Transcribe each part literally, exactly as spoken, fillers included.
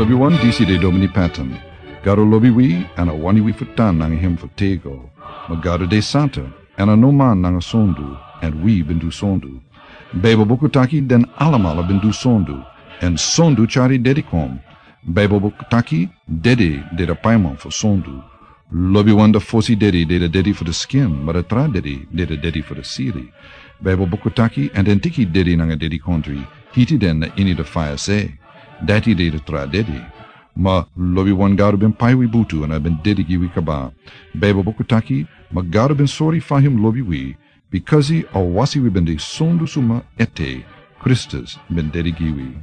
Lobiwan, disi de Domini Patton. Gado lobi wi, èn a wani wi fu tan nanga hem fu tego. Ma Gado de santa, èn a no man nanga sondu, èn wi ben du sondu. Baibel buku taki den alamala ben du sondu, èn sondu tyari dedi kon. Baibel buku taki dedi de a paiman fu sondu. Lobiwan, a fosi dedi de a dedi fu a skin, ma a tra dedi de a dedi fu a sili. Baibel buku taki, èn den teki dedi nanga dedikondre, hiti den na ini a faya se. Dati de a tra dedi. Ma lobiwan, Gado ben pai wi butu èn a ben dedi gi wi kaba. Baibel buku taki, ma Gado ben sori fa hem lobi wi, bikasi a wasi wi ben de sondu suma ete, Kristus ben dedi gi wi.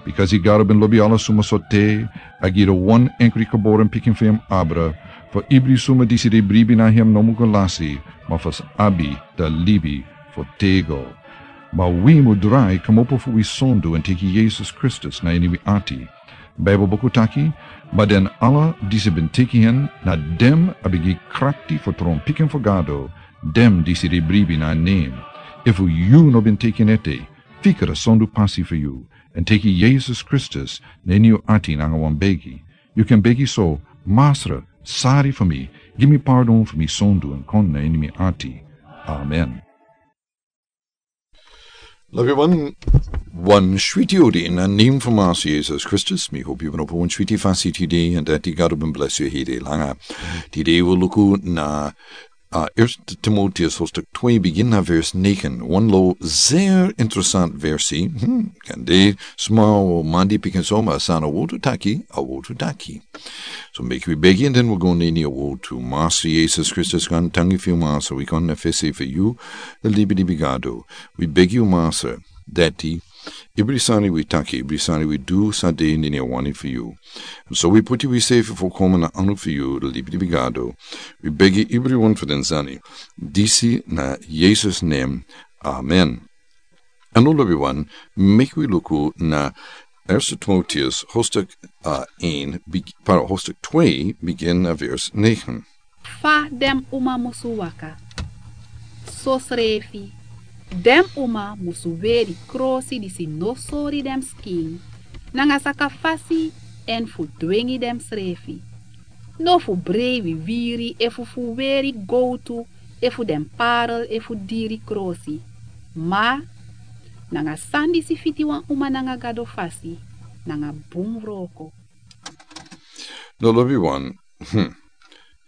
Bikasi Gado ben lobi ala suma so te, a gi a wan enkri geboren pikin fu hem abra, fu ibri suma disi de bribi na hem no mu go lasi, ma fu sa abi a libi fu tego. Ma wi mu drai kmopo fu wi sondu èn teki Yesus Kristus na ini wi ati. Baibel buku taki, ma den ala disi ben teki en, na den a ben gi krakti fu tron pikin fu Gado, den disi de bribi na nen. Efu yu no ben teki en ete, fika a sondu pasi fu yu, èn teki Yesus Kristus na ini yu ati nanga wan begi. Yu kan begi so: Masra, sori fu mi, gi mi pardon fu mi sondu èn kon na ini mi ati. Amen. Lobiwan, wan switi odi na nen fu Masra Yesus Kristus. Mi hopi yu ben opo wan switi fasi tide, èn dati Gado ben blesi yu heri langa. Tide wi luku na, a, Eerste Timotheus hoofdstuk twee, begin na vers negen. Wan lo zeer interessant versi. Hmm, kande sma o mandi pikin so, ma san a wortu taki, a wortu taki. So meki wi begi, èn den wi go na ini a wortu. Masra Yesus Kristus, gaantangi fu yu, Masra, wi kon na fesi fu yu, a libilibi Gado. Wi begi yu, Masra, dati ibri sani wi taki, ibri sani wi du, sa de na ini a wani fu yu. Èn so wi puti wisefi fukomen na anu fu yu, a libilibi Gado. Wi begi ibriwan fu den sani disi na Yesus nen. Amen. Èn now, lobiwan, meki wi luku na Eerste Timotheus hoofdstuk, a, een, beg-, pardon, hoofdstuk twee, begin na vers negen. Fa den uma musu waka. Sosrefi, den uma musu weri krosi disi no sori den skin, nanga saka fasi, èn fu dwengi densrefi. No fu brei wiwiri efu fu weri gowtu efu den parel efu diri krosi. Ma nanga san disi fiti wan uma nanga Gado fasi, nanga bun wroko. No, lobiwan. Hmm.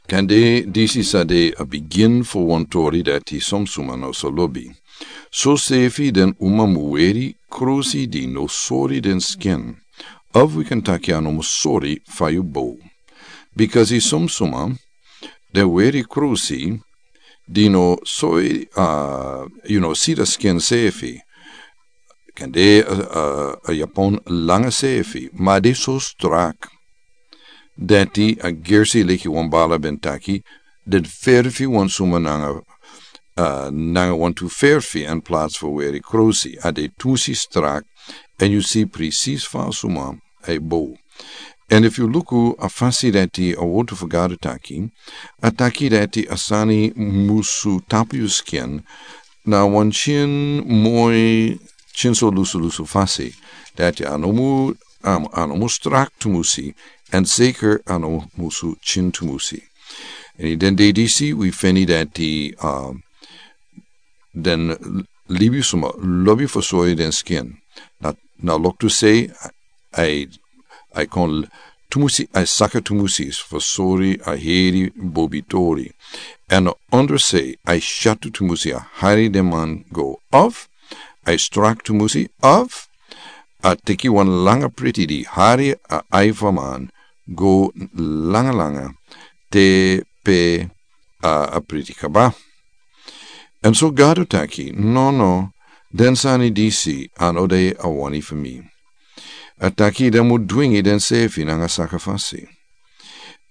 Kande disi sa de a bigin fu wan tori dati son suma no sa lobi. Sosefi den uma mu weri krosi di no sori den skin. Of wi kan taki a no mu sori fa yu bow. Bikasi son suma den weri krosi di no sori, a, yu no si den skin sefi. Kande, a, a, a yapon langa sefi, ma den so strak dati a gersi, leki wan bala ben taki, den ferfi wan suma nanga, a, nanga wantu ferfi in plaats fu weri krosi. A de tu si strak, èn yu si presis fa suma a e bow. Èn efu yu luku a fasi dati a wortu fu Gado taki, a taki dati a sani musu tapu yu skin, na wan tyin moi, tyin so lusulusu fasi. Dati a no mu, a, a no mu strak tumusi, èn zeker a no musu tyin tumusi. Èn ini den dei disi wi feni dati, a, den libisma lobi fu sori den skin. Na, na loktu sei, a e, a e kon tumusi, a e saka tumusi fu sori a heri bobi tori. Èn a ondro sei, a e syatu tumusi, a hari den man go. Of a e strak tumusi, of a teki wan langa priti di hari a ai fu a man go langa langa te pe a, a priti kaba. Èn so Gado taki, no, no, den sani disi a no de a wani fu mi. A taki den mu dwingi densefi nanga saka fasi.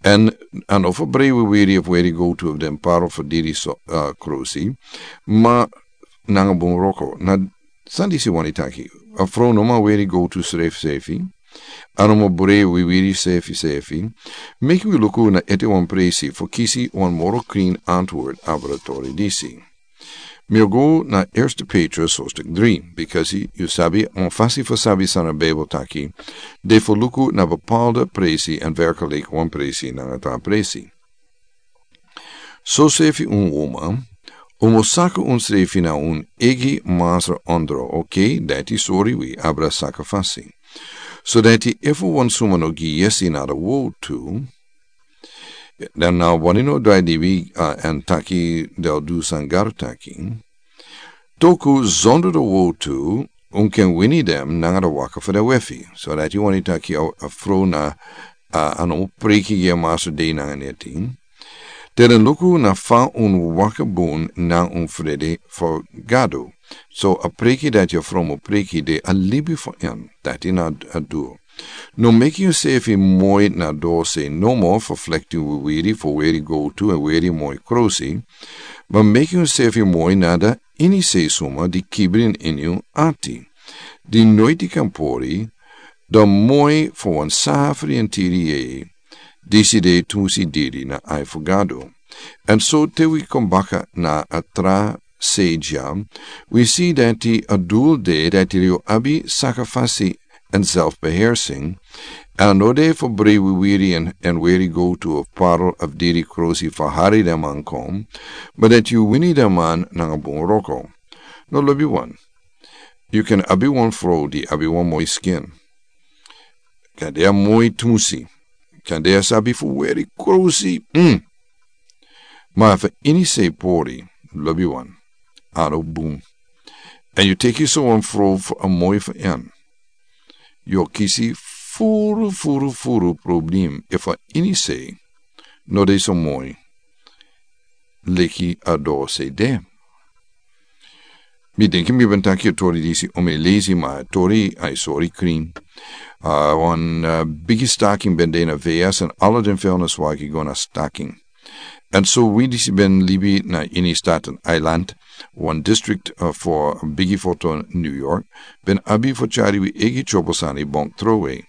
Èn a no fu brei wiwiri efu weri gowtu efu den parel fu diri so, a, krosi, ma nanga bun wroko. Na san disi wani taki. A frow no man weri gowtu srefi sefi. A no man brei wiwiri sefi sefi. Meki wi luku na ete wan presi fu kisi wan moro krin antwoord abra tori disi. Mi o go na Eerste Petrus hoofdstuk drie, bikasi yu sabi wan fasi fu sabi san a Bijbel taki, de fu luku na bepaalde presi en werkelijk wan presi nanga tra presi. So sefi un uma, un mus saka unsrefi na un eigi masra ondro, oké, dati sori wi abra saka fasi. So dati efu wan suma no gi yesi na de wo tu, dan na wani no drai dibi, uh, en taki del du san Gado taki. Toku zonder de wo tu, un ken wini dem nanga de waka fu de wefi. So dati wani taki a, a fro na, uh, a no preki gi a masra de nanga neti. Te den luku na fa un waka bun na un frede fu Gado. So a preki dati a fro mu preki de a libi fu en. Dati na a du. No meki unsefi moi na dose nomo fu flekti wiwiri fu weri go tu en weri moi krosi. Ma meki unsefi moi na de ini sei suma di kibrin ini un ati. Di noiti kan pori, da moi fu wan safri en tiri yei. Disi de tusi diri na ai fu Gado. En so te wi kon baka na a tra sei dya, wi si dati a dul de dati yu abi saka fasi en zelfbeheersing, en a no de fu brei wiwiri en, en weri go tu of parel of diri krosi fu hari den man kon, ma dati yu wini den man nanga bun wroko. No lobi wan. Yu ken abi wan fro di abi wan moi skin. Kan de a moi tusi. Kan de a sabi fu weri krosi. Mm. Ma efu ini sei pori, lobi wan. A no bun. En yu teki so wan fro fu a moi fu en. Yu o kisi furu, furu, furu problem efu a ini sei no de so moi leki a dose de. Mi denki mi ben taki a tori disi un mi leisi, ma a tori a e sori krin. A wan, a, bigi staking ben de na V S en ala den vuilniswagi go na staking. En so wi disi ben libi na ini Staten Island, wan district, a, fu bigi foto New York, ben abi fu tyari wi eigi tyobo sani bonk trowe.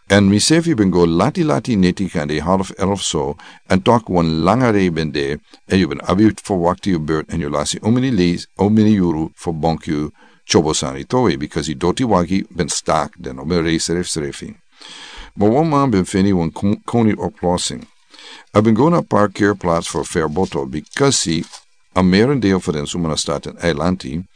En misefi ben go lati lati neti kande half elf so, en tok wan langa rei ben de, en yu ben abi fu wakti yu beurt en yu lasi omini leis, omini yuru fu bonk yu tyobo sani towe, because yu doti wagi ben stak, den no ben rei srefsrefi. Ma wan man ben feni wan kon-, koni oplossing. A ben go na parkeerplaats fu Fairboto, because a merendeel fu den suma na Staten Island,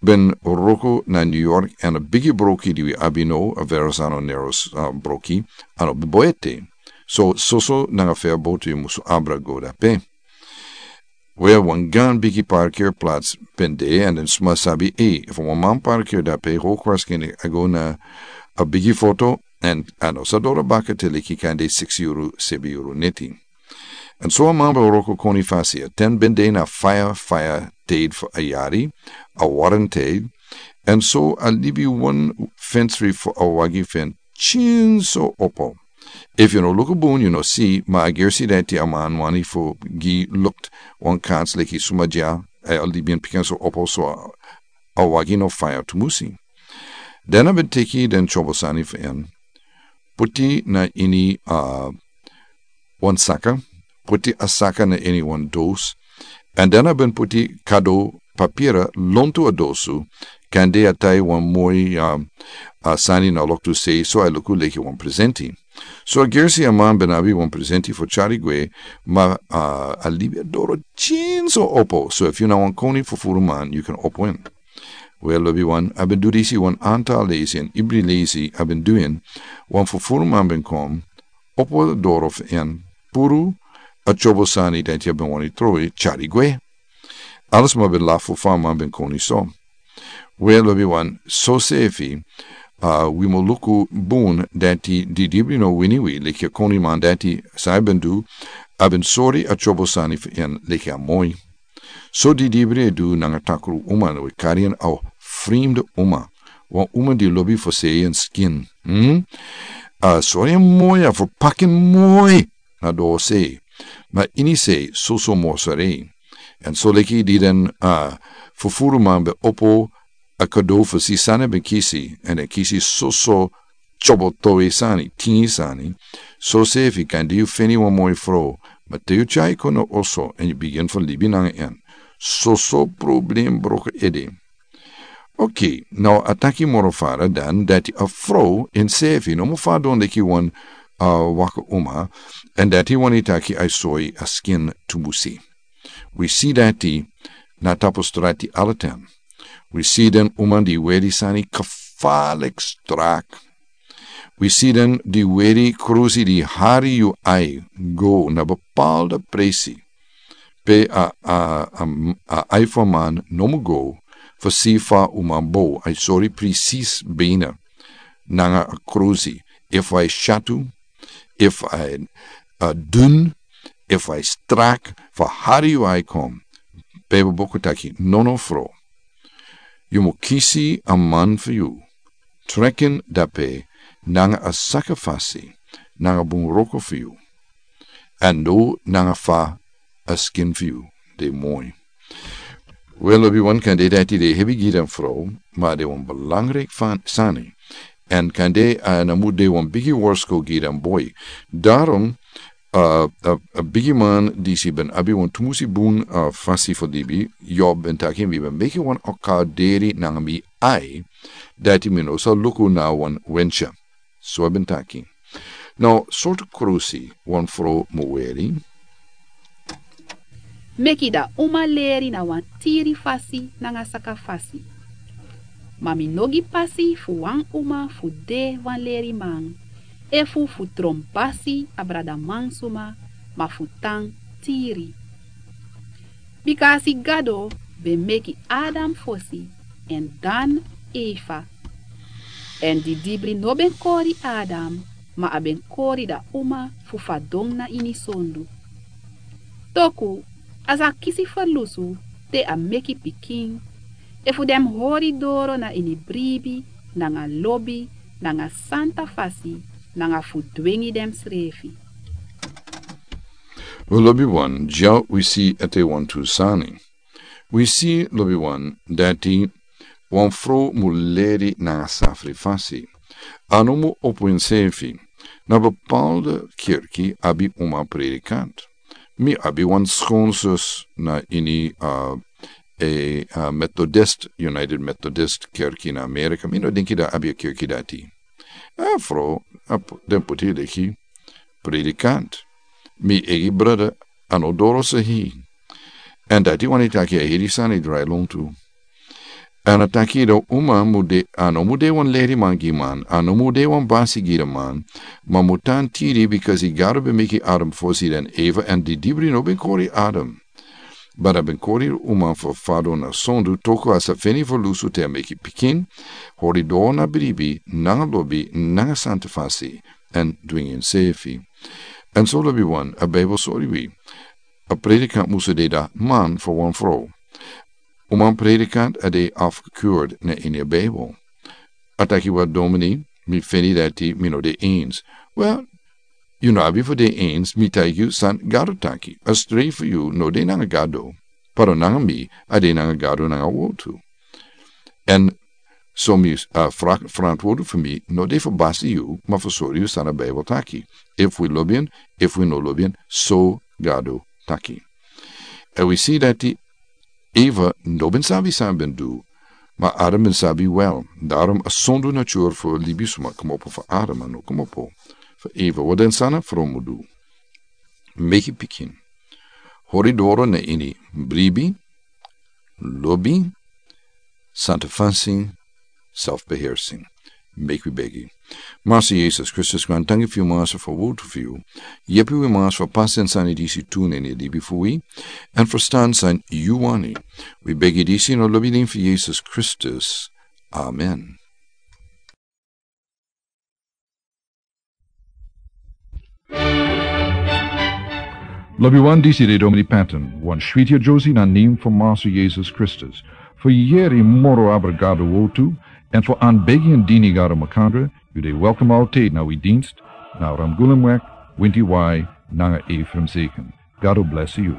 ben wroko na New York, en a bigi broki di wi abi no, a Verrazano Narrows, a, broki, a no boete. So, soso nanga Fairboto yu musu abra go dape. Wel, wan gan bigi parkeerplaats ben de, en den suma sabi, e, efu wan man parkeer dape, hol kwarskin a go na a bigi foto, en a no sa doro baka te leki kande siksi yuru, sebi yuru neti. En so a man ben wroko koni fasi, a ten ben de na faya, faya teid fu a yari, a warren teid, en so a libi wan fensri fu a wagi fen tyin so opo. Efu yu no luku bun, yu no si, ma a gersi dati a man wani fu gi lukt wan kans leki suma dya, a libi en pikin so opo so a, a wagi no faya tumusi. Den a ben teki den tyobo sani fu en. Puti na ini, a, wan saka, puti a saka na ini wan dos, en den a ben puti kado papira lontu a dosu, kande a tai wan moi, a, a sani na loktu sei, so a luku leki wan presenti. So a gersi a man ben abi wan presenti fu tyari gwe, ma, a, a libi a doro tyin so opo, so efu yu na wan koni fu furu man, yu kan opo en. Wel, lobi wan, a ben du disi wan antal leisi, en ibri leisi a ben du en, wan fu furu man ben kon, opo doro fu en, puru a tyobo sani dati a ben wani trowe, tyari gwe. Ala sma ben lafu fa a man ben koni so. Wel, lobi wan, so sefi, a, wi mu luku bun dati didibri no wini wi, leki a koni man dati san a ben du, a ben sori a tyobo sani fu en leki a moi. So didibri e du nanga takru uma, no e kari en a frimde uma. Wan uma di lobi fu sei en skin. Hmm? A sori en moi, a fu pakin moi. Na do sei. Ma ini sei, soso mosarei. En so leki di den, a, fufuru man ben opo, a kado fu si san a ben kisi, en a kisi soso tyobo towe sani, tin sani. So sefi kande yu feni wan moi fro, ma te yu tyai kon na oso, en yu bigin fu libi nanga en. Soso problem broko ede. Ok, now a taki moro fara dan dati a frow ensefi no mu fadon leki wan, uh, waka uma, en dati wani taki a soi a skin tumusi. Wi si dati na tapu strati alatan. Wi si den uma di weri sani kafalik strak. Wi si den di weri krusi di hari yu ai go na bepaalde presi. Pe a, a, a, a ai fu a man no mu go, fu si fa uma bo, a sori presis bena. Nanga a krusi, efu a shatu, efu a, a dun, efu a strak, fu hari yu ai kon. Pe boko taki, no no fro. Yu mu kisi a man fu yu. Trekken dape nanga a sakafasi, nanga bun wroko fu yu. En no nanga fa a skin fu yu de moi. Wel, lobi wan kande dati de hebi gi den frow, ma de wan belangrijk fan sani. En kande a na mu de wan bigi worsko gi den boi. Daarom, uh, a, a bigi man disi ben abi wan tumusi bun, uh, fasi fu libi, Job ben taki mi ben meki wan okaderi nanga mi ai, dati mi no sa luku na wan wensha. So a ben taki. Now, sortu krusi wan frow mu weri? Meki da uma leri na wan tiri fasi nanga saka fasi. Ma mi no gi pasi fu wan uma fu de wan leri man, efu fu tron pasi a brada man suma, ma fu tan tiri. Bika a si Gado ben meki Adam fosi, en dan Eva. En didibri no ben kori Adam, ma a ben kori da uma fu fadon na ini sondu. Toku, a sa kisi ferlusu te a meki pikin, efu den hori doro na ini bribi, nanga lobi, nanga santa fasi, nanga fu dwengi densrefi. Wi lobi wan, dya wi si ete wan tu sani. Wi si lobi wan, dati wan frow mu leri nanga safri fasi. A no mu opo ensefi. Na bepaalde kerki abi uma predikant. Mi abi wan skonsus na ini, uh, e, uh, Methodist, United Methodist kerki na Amerika. Mi no denki da abi a kerki dati. A frow, a pu-, den puti leki predikant. Mi eigi brada a no doro sahi. En dati wani taki a heri sani drai lontu. En a taki da uma mu de, a no mu de wan leri man gi man, a no mu de wan basi gi da man, ma mu tan tiri bikasi Gado ben meki Adam fosi dan Eva en didibri no ben kori Adam. But a ben kori uma fu fadon na sondu toku a sa feni ferlusu te a meki pikin, hori doro na bribi, nanga lobi, nanga santa fasi, en dwengi ensefi. En so lobi wan, a Bijbel sori wi. A predikant musu de da man fu wan frow. Uma predikant a de afgekeurd na ini a Bijbel. A taki wat domini, mi feni dati mi no de eens. Wel, yu no abi fu de eens, mi taigi yu san Gado taki. A strei fu yu no de nanga Gado. Pero nanga mi, a de nanga Gado nanga wotu. En so mi, a, fra-, frantwortu fu mi, no de fu basi yu, ma fu sori yu san a Bijbel taki. Efu wi lobi en, efu wi no lobi en, so Gado taki. En wi si dati Eva no ben sabi san a ben du, ma Adam ben sabi wel. Daarom a sondu natuur fu libisma komopo fu Adam a no komopo fu Eva. Wat den sani a frow mu du? Meki pikin. Hori doro na ini bribi, lobi, santa fasi, selfbeheersing. Meki wi begi. Master Jesus Kristus, grantangi fu yu, Master, fu a wotu fu yu. Yepi wi, Master, fu pasi den sani disi tu na ini a libi fu wi. En ferstan san yu wani. Wi begi disi na a lobi nen fu Jesus Kristus. Amen. Lobi wan, disi de Domini Patton, wan switi a Josie na nen fu Master Jesus Kristus. Fu yeri moro abra Gado wotu, en fu anbegi en dini Gado makandra, yu de welkom altijd na wi dienst, na Ramgulumweg, winti wai, nanga Ephraim Zeken. Gado bless yu.